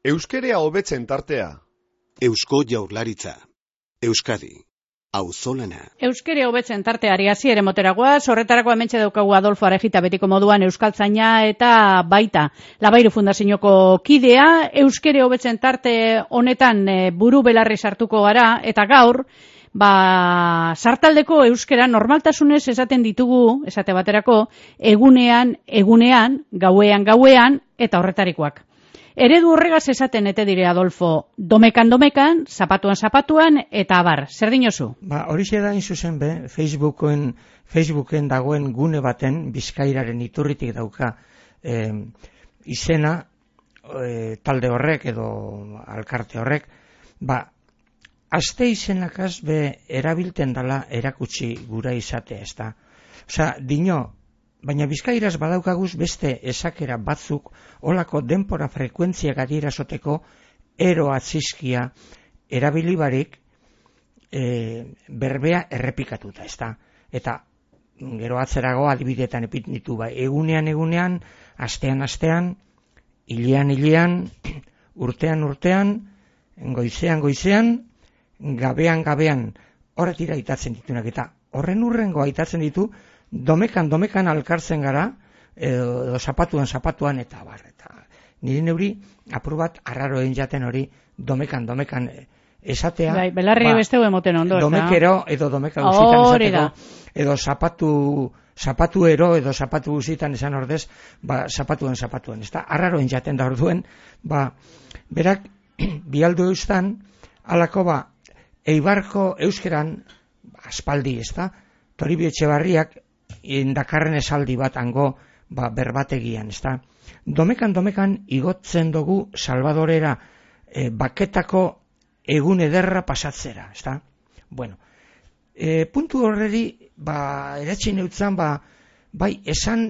Euskerea hobetzen tartea. Eusko Jaurlaritza. Euskadi. Auzolana. Euskere hobetzen tarteari hasiere moteragoa, horretarako hementxe daukagu Adolfo Arejita betiko moduan euskaltzaina eta baita Labairu Fundazioko kidea. Euskere hobetzen tarte honetan buru belarri sartuko gara eta gaur sartaldeko euskera normaltasunez esaten ditugu, esate baterako, egunean, gauean eta horretarikoak. Eredu horregaz esaten ete dire Adolfo, domekan, zapatuan, eta abar. Zer dinozu? Horixe da zuzen be, Facebooken dagoen gune baten, Bizkairaren iturritik dauka izena, talde horrek edo alkarte horrek, aste izenakaz be erabilten dala erakutsi gura izatea, ez da. Osa, baina Bizkairaz badaukaguz beste esakera batzuk olako denpora frekuentziak adierazoteko ero atzizkia erabilibarik berbea errepikatuta, ez da. Eta gero atzerago adibidetan epititu egunean, astean, hilean, urtean, goizean, gabean, horretira aitatzen ditunak, eta horren urrengo aitatzen ditu domekan alkartzen gara, edo zapatuan eta abar. Eta nire neuri apur bat arraroen jaten hori domekan esatea. Bai, belarri besteu emoten ondo. Domekero edo domeka guzitan esateko, edo zapatuero edo zapatu guzitan esan ordez, zapatuan. Ez da, arraroen jaten da orduen, berak bialdu eustan, alako Eibarko euskeran, aspaldi, ez da, Toribio Etxebarriak dakarren esaldi bat hango berbategian, ez da. Domekan igotzen dugu Salvadorera baketako egun ederra pasatzera, ez da. Bueno, puntu horreri, eratxin eutzan,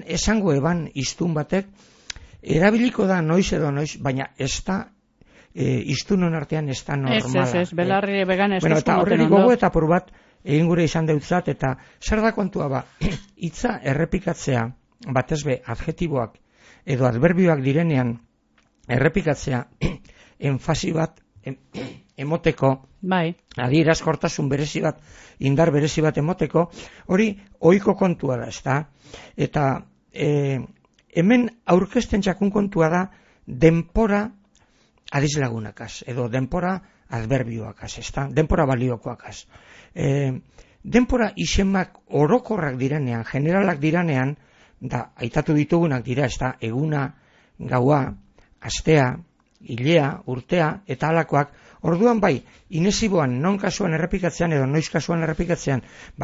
esango eban iztun batek, erabiliko da noiz edo noiz, baina ez da, iztunon artean ez da normala. Ez, belarri vegan ez da. Bueno, eta horreri gogo eta apur bat, egin gure izan deutzat, eta zer da kontua hitza errepikatzea, batez be, adjetiboak edo adverbioak direnean errepikatzea, enfasi bat emoteko, adierazkortasun berezi bat, indar berezi bat emoteko, hori ohiko kontua da, ez da? Eta hemen aurkezten txakun kontua da denpora adizlagunakaz, edo denpora adverbioakaz, ez da? Denpora baliokoakaz. Denpora izemak orokorrak direnean, generalak direnean, da, aitatu ditugunak dira, ez da, eguna, gaua, astea, hilea, urtea, eta halakoak, orduan inesiboan, non kasuan errepikatzean, edo noiz kasuan errepikatzean,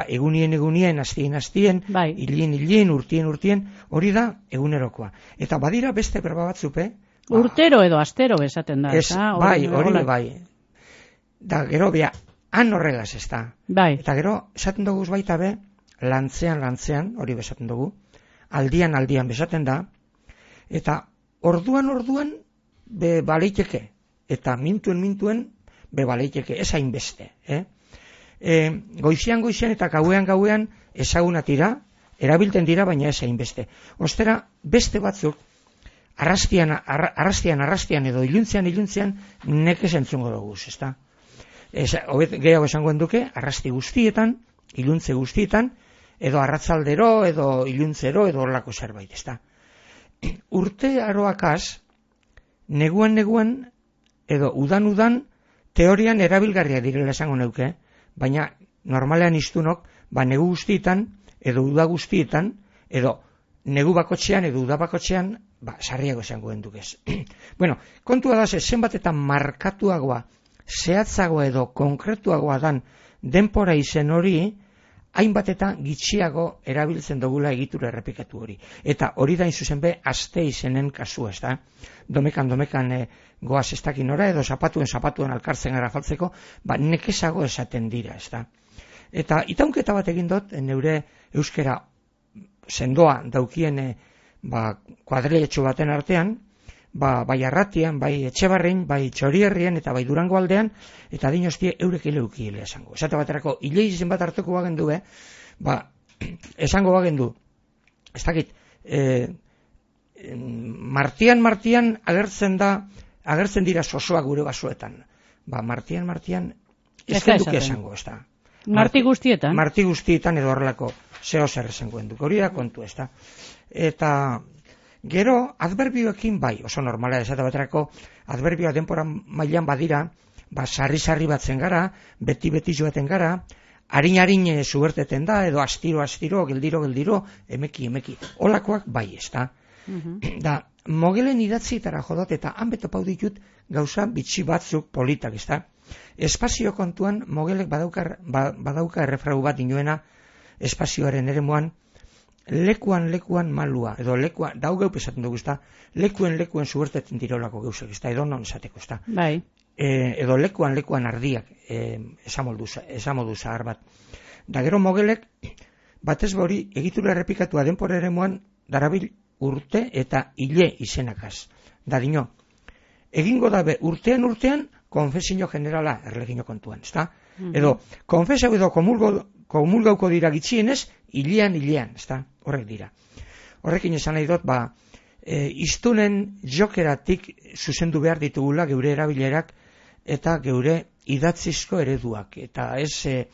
egunien, astien, hilien, urtien, hori da egunerokoa. Eta badira beste berba batzupe, urtero edo astero esaten da, hori. Da, gero, han horregaz ez da. Eta gero, esaten dugu baita be, lantzean, hori besaten dugu, aldian besaten da, eta orduan, be baleiteke, eta mintuen, be baleiteke, ez hainbeste. Goizean eta gauean ezagunatira, erabilten dira, baina ez hainbeste. Ostera, beste batzuk, arrastian edo iluntzean, nekez entzungo dugu, ez da. Gehiago esangoen duke, arrasti guztietan, iluntze guztietan, edo arratzaldero, edo iluntzero, edo horlako zerbait, ez da. Urte aroakaz, neguan, edo udan, teorian erabilgarria direla esango neuke, baina normalean iztunok, negu guztietan, edo uda guztietan, edo negu bakotxean, edo uda bakotxean, sarriago esangoen dukez. Bueno, kontua da, zenbat eta markatuagoa, zehatzagoa edo konkretuagoa dan denpora izen hori, hainbat eta gitxiago erabiltzen dugula egitura errepikatu hori. Eta hori da zuzen be, aste izenen kasua, ez da? Domekan goaz ez dakin ora, edo zapatuen alkartzen gara faltzeko, nekezago esaten dira, ez da? Eta itaunketa bat egin dut, neure euskera sendoa daukien kuadriletxo baten artean, bai Arratian, bai Etxebarrin, bai Txorierrien eta bai Durango aldean, eta dinostie eurek ileukiele esango. Esate baterako, hilei izen bat hartuko bagendu, esango bagendu, ez dakit, martian agertzen da agertzen dira sosoak gure basoetan. Martian, ez duke esango, ez da. Marti guztietan? Marti guztietan edo horrelako zeo zer esangoen duk. Hori da kontu, ez da. Eta gero, adverbioekin bai, oso normala esate baterako, adverbioa denpora mailan badira, sarri batzen gara, beti joaten gara, harin zuberteten da, edo astiro, geldiro, emeki. Olakoak bai, ez da. Da, Mogelen idatzietara jodot eta han betopau ditut gauza bitxi batzuk politak, ez da. Espazio kontuan Mogelek badauka errefrau bat inoena espazioaren eremuan, lekuan malua, edo dau geup esaten dugu, ez da, lekuen zuberteten dirolako gauzak, ez da, edo non esateko, ez da. Bai. Edo lekuan ardiak, esamodu zahar bat. Da gero Mogelek, batez hori egitura errepikatua denpora eremuan darabil urte eta hile izenakaz. Da dino, egingo dabe urtean konfesio generala erlegino kontuan, ezta? Edo, konfesau edo komulgauko dira gitxienez, hilean, ezta? Horrek dira. Horrekin esan nahi dut, iztunen jokeratik zuzendu behar ditugula geure erabilerak eta geure idatzizko ereduak, eta ez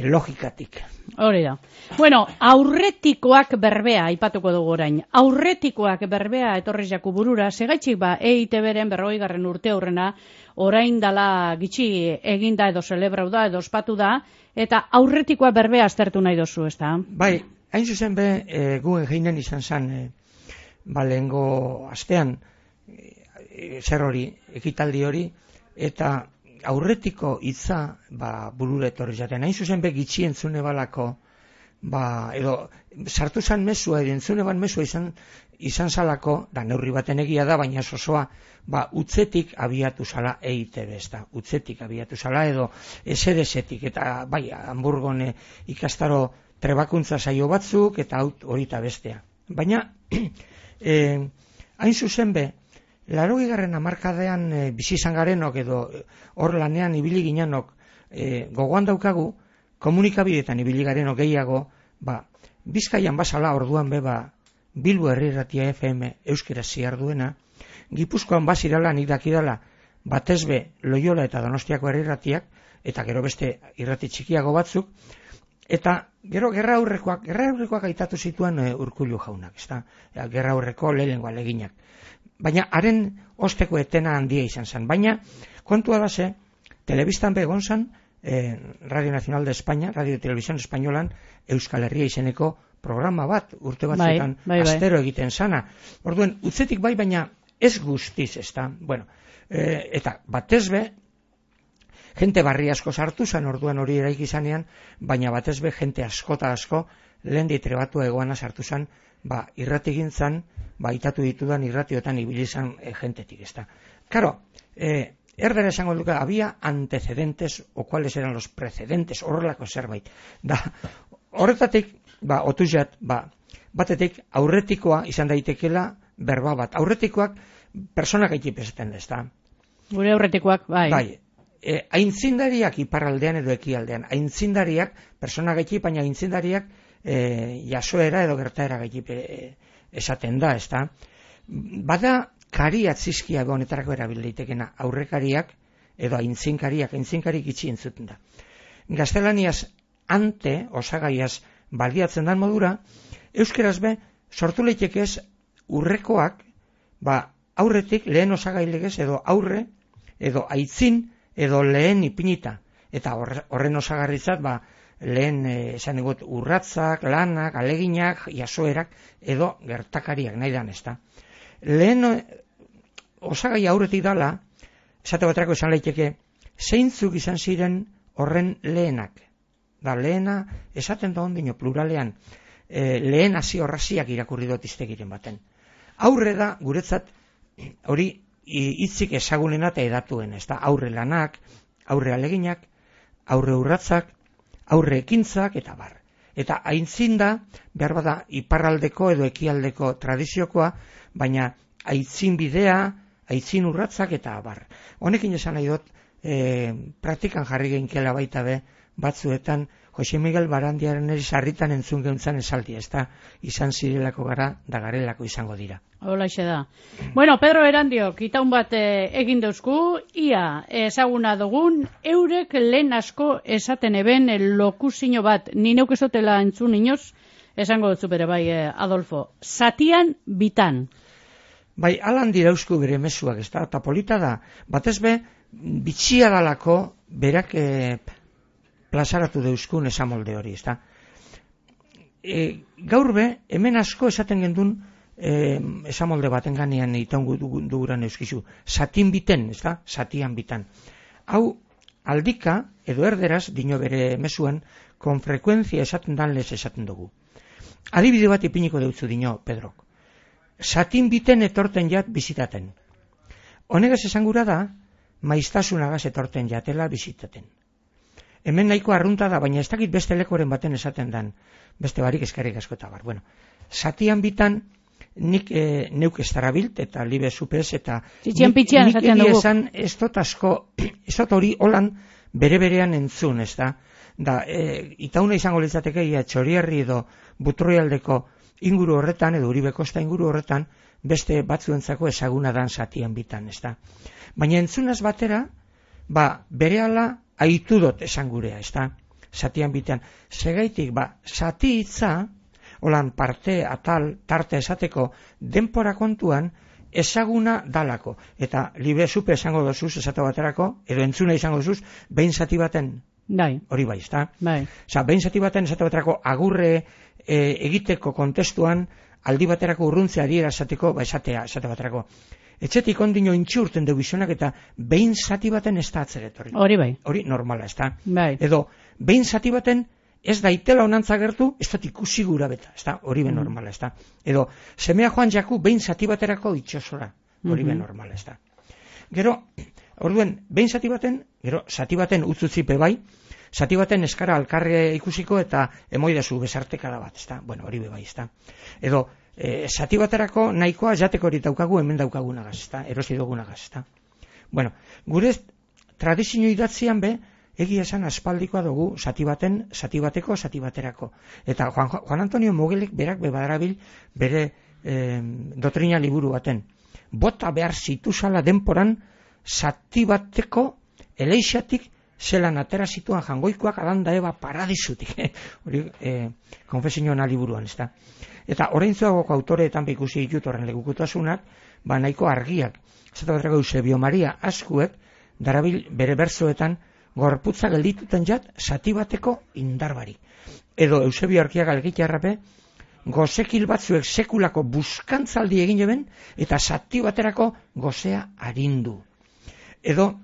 logikatik. Hori da. Bueno, aurretikoak berbea aipatuko dugu orain. Aurretikoak berbea etorri jaku burura, segaitxik EITB-ren 40. urte aurrena, orain dala gitxi eginda edo celebrau da edo ospatu da, eta aurretikoa berbea aztertu nahi dozu, ez da? Bai, hain zuzen guen geinen izan zen, lehengo astean, zer hori, ekitaldi hori, eta aurretiko hitza burura etorri jaten. Hain zuzen gitxi entzune balako, edo sartu zan mesua, edo entzune ban mesua izan zalako, da neurri baten egia da, baina osoa, utzetik abiatu zala EITB, ez da, utzetik abiatu zala, edo esedesetik, eta Hamburgon ikastaro trebakuntza saio batzuk, eta hori eta bestea. Baina, hain zuzen 80. hamarkadean bizi izan garenok edo hor lanean ibili ginenok gogoan daukagu, komunikabideetan ibili garenok gehiago, Bizkaian bazala orduan Bilbo Herri Irratia FM euskera ziar duena, Gipuzkoan bazirala nik dakidala batez Loiola eta Donostiako Herri Irratiak, eta gero beste irrati txikiago batzuk, eta gero gerra aurrekoak aitatu zituen Urkullu jaunak, ezta? Gerra aurreko lehenengo aleginak. Baina haren osteko etena handia izan zen. Baina kontua da ze, telebistan begon zen, Radio Nacional de España, Radio Televisión Españolan, Euskal Herria izeneko programa bat, urte batzuetan astero egiten sana. Orduen, utzetik baina ez guztiz, ezta? Bueno, eta batez jente barri asko sartu zen, orduan hori eraiki zanean, baina batez jente asko lehen ditrebatua egoana sartu zen, irratigintzan, itatu ditudan irratioetan ibili zan jentetik, ezta. Claro, erdera esango duke, había antecedentes, o cuáles eran los precedentes, horrelako zerbait. Da, horretatik, otuzat, batetik aurretikoa izan daitekela berba bat. Aurretikoak persona gaitip esaten da, ezta. Gure aurretikoak, Bai. Aintzindariak iparraldean edo ekialdean. Aintzindariak, persona gaitip, baina aintzindariak jasoera edo gertaera gaitip esaten da, ezta. Bada kari atzizkia honetarako erabilditekena, aurrekariak edo aintzinkari gitxi entzuten da. Gaztelaniaz ante, osagaiaz baliatzen dan modura, euskeraz sortu leitekez urrekoak, aurretik lehen osagailegez edo aurre, edo aitzin, edo lehen ipinita. Eta horren osagarritzat, lehen esan egot urratzak, lanak, aleginak, jasoerak, edo gertakariak nahi dan, ezta. Lehen osagai aurretik dala, esate baterako esan leiteke, zeintzuk izan ziren horren lehenak. Da, lehena, esaten da ondino pluralean, lehen hasi horraziak irakurri dut iztegiren baten. Aurre da, guretzat, hori hitzik ezagunena eta edatuen, ezta, aurre lanak, aurre aleginak, aurre urratzak, aurre ekintzak, eta bar. Eta aintzin da, behar bada, iparraldeko edo ekialdeko tradiziokoa, baina aitzin bidea, aitzin urratzak, eta bar. Honekin esan nahi dut, praktikan jarri geinkela baita batzuetan Jose Miguel Barandiaren sarritan entzun geuntzan esaldia, ez da izan zirelako gara da garelako izango dira. Holaxe da. Bueno, Pedro Erandiok, itaun bat egin dauzku, ia ezaguna dugun, eurek lehen asko esaten eben lokuzio bat, ni neuk esotela entzun inoz, esango dutzu bere bai, Adolfo, zatian bitan. Bai, alan dirauzku bere mezuak, ez da, eta polita da, batez be, bitxia dalako berak plazaratu deuzkun esamolde hori, ez da. Gaur be, hemen asko esaten gendun esamolde baten ganean itaungu duguran euskizu, satin biten, ez da, satian bitan. Hau, aldika, edo erderaz, dino bere mezuan, kon frekuenzia esaten dan lez esaten dugu. Adibide bat ipiniko deutzu dino, Pedrok. Satin biten etorten jat bizitaten. Honegaz esangura da, maiztasunagaz etorten jatela bizitaten. Hemen nahiko arrunta da, baina ez dakit beste lekoren baten esaten dan, beste barik eskarrik asko eta bar. Bueno, satian bitan, nik neuk ez darabilt, eta libe zupez, eta nik esan ez dut asko, ez dut hori holan bere-berean entzun, ez da. Itauna izango litzateke, Txoriarri edo Butroialdeko inguru horretan, edo Uribe Kosta inguru horretan, beste batzuentzako ezaguna dan satian bitan, ez da. Baina entzunaz batera, berehala aitu dut esan gurea, ez da, satian bitan. Segaitik, sati hitza, holan parte, atal, tarte esateko, denpora kontuan, ezaguna dalako. Eta libe zupe esango dozuz, esate baterako, edo entzuna izango dozuz, behin zati baten, hori bai, ez da. Behin zati baten esate baterako agurre egiteko kontestuan, aldi baterako urruntzea adiera esateko, esate baterako. Etxetik ondino intxurten dugu izonak eta behin zati baten ez da atzeret hori. Hori bai. Hori normala, ez da. Edo, behin zati baten ez daitela onantza gertu, ez dut ikusi gura beta, ez da. Hori ben normala, ez da. Edo, semea joan jaku behin zati baterako itxosora. Hori ben normala, ez da. Gero, orduen, behin zati baten, gero, zati baten utzutzipe bai, zati baten eskara alkarre ikusiko eta emoidazu besartekada bat, ez da. Bueno, hori bai, ez da. Edo, zati baterako nahikoa jateko hori daukagu hemen daukagunagaz, ezta, erosi dugunagaz, ezta. Bueno, gure tradizio idatzian be, egia esan aspaldikoa dugu zati baten, zati bateko, zati baterako. Eta Juan Antonio Mogelek berak bebadarabil bere dotrina liburu baten. Bota behar zituzala denporan zati bateko eleixatik zelan atera zituan jangoikoak Adanda Eva paradizutik. Hori konfesionan liburuan, ezta. Eta oraintzuagoko autoreetan ikusi ditut horren legukutasunak, nahiko argiak. Zata batrako Eusebio Maria Azkuek, darabil bere bertsoetan, gorputza geldituten jat, zati bateko indarbarik. Edo Eusebio Arkiaga Elgitarrape, gozekil batzuek sekulako buskantzaldi egin eben, eta zati baterako gozea arindu. Edo,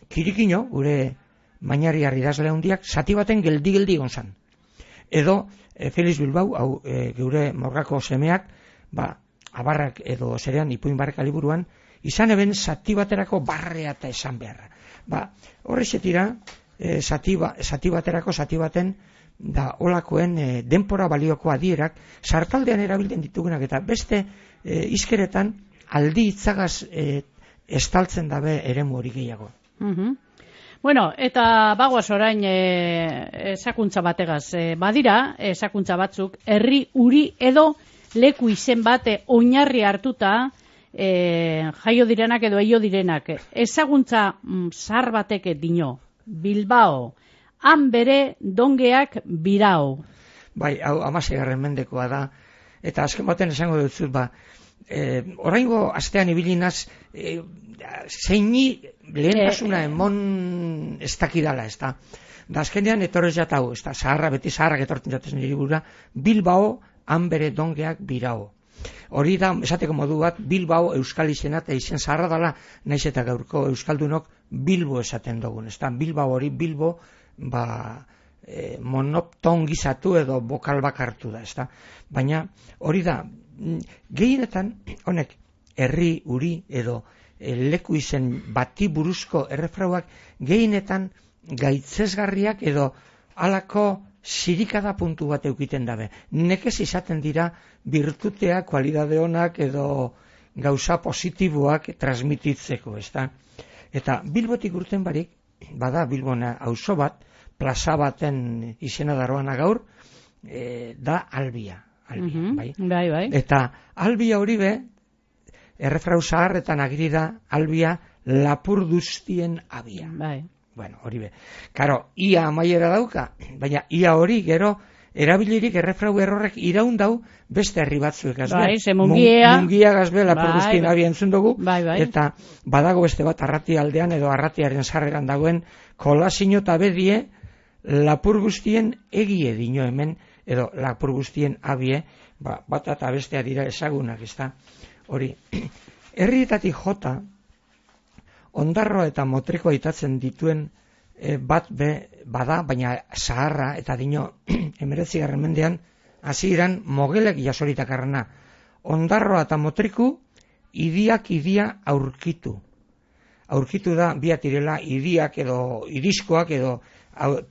Kirikino, gure mainari idazle handiak, zati baten geldi gonzan. Edo, Felix Bilbao, geure morgako semeak, abarrak edo zerean ipuin barreka liburuan, izan eben zati baterako barrea eta esan beharra. Horrexetira, zati baterako, zati baten, da olakoen denpora balioko adierak, sartaldean erabiltzen ditugunak eta beste izkeretan aldi itzagaz estaltzen dabe eremu hori gehiago. Bueno, eta bagoaz orain esakuntza bategaz. Badira, esakuntza batzuk, herri uri edo leku izen bate oinarri hartuta jaio direnak edo eio direnak. Ezaguntza zahar batek dino, Bilbao, han bere dongeak birao. Bai, hau 16. mendekoa da, eta azken baten esango dut oraingo astean ibilinaz zeini lehentasuna emon ez dakidala, ez da. Da azkenean etorrez jatau, ez da, beti zaharrak etortzen jatezen libura, Bilbao, han bere dongeak birao. Hori da, esateko modu bat, Bilbao euskal izena eta izen zaharra dela, naiz eta gaurko euskaldunok Bilbo esaten dugun, ez da. Bilbao hori, Bilbo, monopton gizatu edo bokal bakartu da, ez da. Baina hori da, gehienetan, honek, herri, uri edo leku izen bati buruzko errefrauak gehienetan gaitzesgarriak edo halako zirikada puntu bat eukiten dabe. Nekez izaten dira birtutea, kualidade onak edo gauza positiboak transmititzeko, ez da. Eta Bilbotik urten barik, bada Bilbona auzo bat, plaza baten izena daroana gaur, da Albia. Bai. Bai. Eta Albia hori be, errefrau zaharretan agiri da Albia lapurduztien abia. Bai. Bueno, hori be. Karo, ia amaiera dauka, baina ia hori gero erabilirik errefrau errorrek iraun dau beste herri batzuek gazbe. Bai, ze mungia gazbe lapurduztien abia entzun dugu, bai. eta badago beste bat Arrati aldean edo Arratiaren sarreran dagoen Kolasino eta Bedie lapur guztien egie dino hemen, edo lapur guztien abie, bat eta bestea dira ezagunak, ezta? Hori, herrietatik jota, ondarroa eta motrikoa itatzen dituen bat bada, baina zaharra eta dino 19. mendean hasi iran mogelek jasoritakarrena. Ondarroa eta motriku idia aurkitu. Aurkitu da biat direla idiak edo iriskoak edo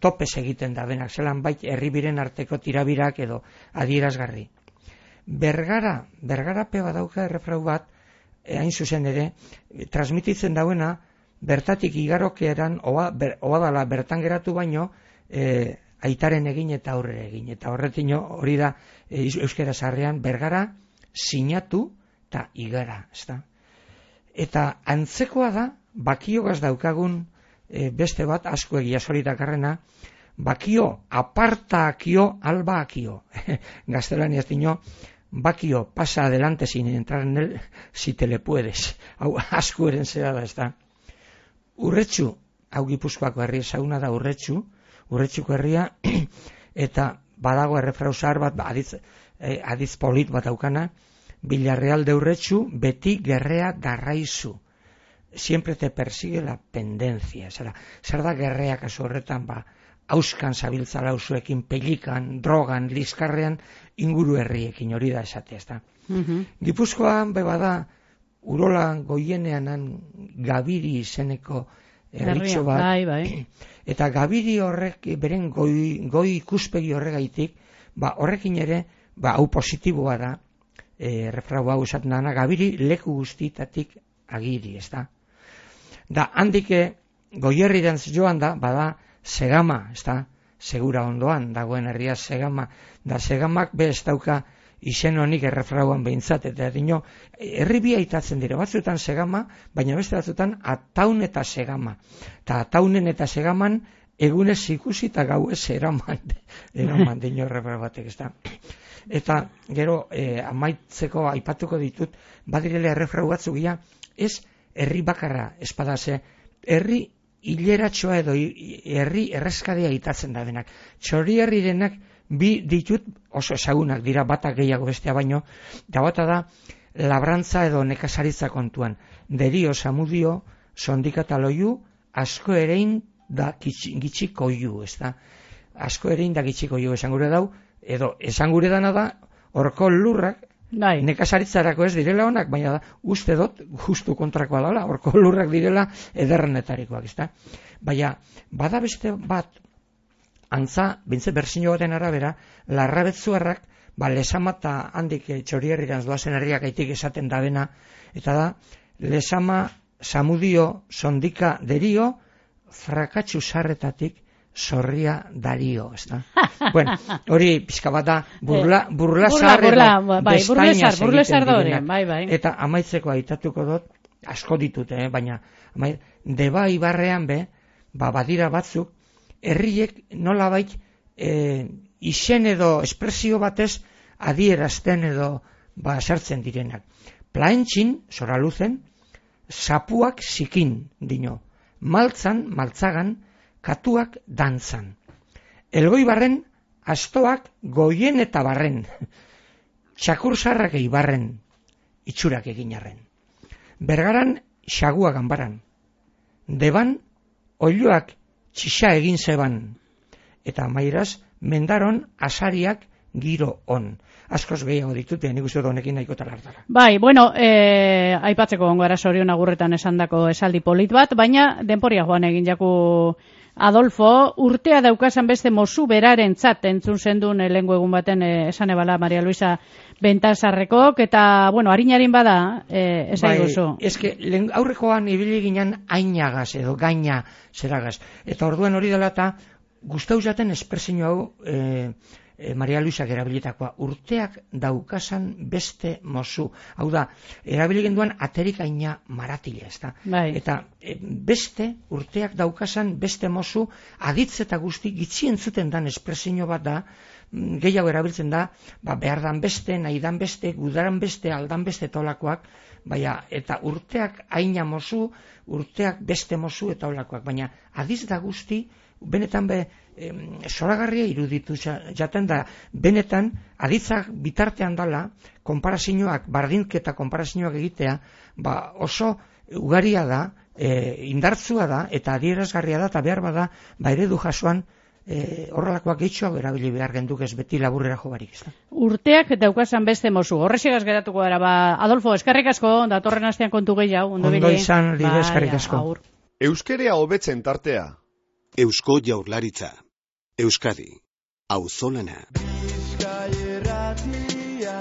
topes egiten da benak, zelan bait herribiren arteko tirabirak edo adierazgarri. Bergara pe badauka errefrau bat, hain zuzen ere, transmititzen dauena, bertatik igarokeran, oa dala bertan geratu baino, aitaren egin eta aurrera egin. Eta horretino hori da euskera zaharrean, bergara, sinatu eta igara. Eta antzekoa da, bakiogaz daukagun beste bat, asko egia solitakarrena, bakio, apartakio, albakio. Gaztelaniaz dino, bakio, pasa adelante sin entrar en él, si te le puedes. Hau, asko eren zera da, ez da. Urretxu, hau Gipuzkoako herri ezaguna da urretxuko herria, eta badago errefrau zahar bat, adiz polit bat daukana, Villarreal de Urretxu, beti gerrea darraizu. Siempre te persigue la pendencia. Zer da gerrea kasu horretan, hauskan zabiltzala usuekin, pelikan, drogan, liskarrean, inguru herriekin, hori da esatea, ez da. Gipuzkoan, bada, Urola goienean Gabiri izeneko herritxo bat, bai. Eta Gabiri horrek, beren goi ikuspegi horregaitik, horrekin ere, hau positiboa da, refrau hau esaten dana, Gabiri leku guztietatik agiri, ez da. Da, handike, goierriren joan da, bada, Segama, ez da, segura ondoan, dagoen herria Segama, da Segamak be ez dauka izen honik errefrauan behintzat, eta dino, herribia itatzen dira, batzuetan Segama, baina beste batzuetan Ataun eta Segama. Eta Ataunen eta Segaman egunez ikusi eta gauez eraman dino errefrau batek, ez da. Eta gero amaitzeko aipatuko ditut, badirele errefrau batzugia, ez herri bakarra espadase, herri hileratxoa edo herri erreskadea itatzen da denak. Txori herri denak bi ditut oso ezagunak dira, bata gehiago bestea baino, da bata da labrantza edo nekazaritza kontuan. Derio, Samudio, Sondika eta Loiu, asko erein da gitxiko iu, ez da. Asko erein da gitxiko iu esan gure dau, edo esan gure dana da, horko lurrak, nekazaritzarako ez direla honak, baina da, uste dut, justu kontrakoa dela, horko lurrak direla ederrenetarikoak, ez da. Baina, bada beste bat, antza, bintze berzino baten arabera, larrabetzuarrak, Lesama eta handik Txorierriran doazen herriak aitik esaten dabena, eta da, Lesama, Samudio, Sondika, Derio, frakatxu sarretatik, Zorria Dario, ez da. Bueno, hori pixka bat da, burlasar da hori, bai. Eta amaitzeko aitatuko dut, asko ditut, baina, Deba Ibarrean badira batzuk, herriek nolabait izen edo espresio batez adierazten edo sartzen direnak. Plaentxin, Zoraluzen, zapuak zikin, dino. Maltzan, maltzagan, katuak dantzan. Elgoibarren, astoak goien eta barren. Txakursarrak eibarren, itxurak eginarren. Bergaran, xagua ganbaran. Deban, oiloak txixa egin zeban. Eta amairaz, mendaron, asariak giro on. Askoz gehiago ditut, nik uste honekin nahiko talartara. Bai, bueno, aipatzeko ongara Sorion agurretan esandako esaldi polit bat, baina denporia joan egin jaku Adolfo, urtea daukasan beste mozu beraren tzat entzun zendun lehengo egun baten esan ebala Maria Luisa Bentasarrekok, eta, bueno, harinarin bada, ezaiguzu. Bai, eske, aurrekoan ibili ginen ainagaz edo gaina zeragaz. Eta orduan hori dela eta gustau jaten espresio hau Maria Luisak erabilitakoa, urteak daukasan beste mozu. Hau da, erabili genduan aterikaina maratile, ez da? Bai. Eta beste urteak daukasan beste mozu, aditz eta guzti gitxien zuten dan espresio bat da, gehiago erabiltzen da, behar dan beste, nahi dan beste, gudaran beste, aldan beste tolakoak, eta urteak aina mozu, urteak beste mozu eta olakoak, baina aditz da guzti, benetan zoragarria iruditu jaten da, benetan aditzak bitartean dala, konparazioak, bardinketa konparazioak egitea, oso ugaria da, indartzua da, eta adierazgarria da, eta behar bada, eredu jasoan, horrelakoak gehitxoak erabili behar genduk ez beti laburrera jo barik. Urteak daukasan beste mozu. Horrexegaz geratuko gara, Adolfo, eskerrik asko, datorren astean kontu gehiago. Ondo izan, Lidia, eskerrik asko. Euskerea hobetzen tartea. Eusko Jaurlaritza. Euskadi. Auzolana. Bizkaia irratia.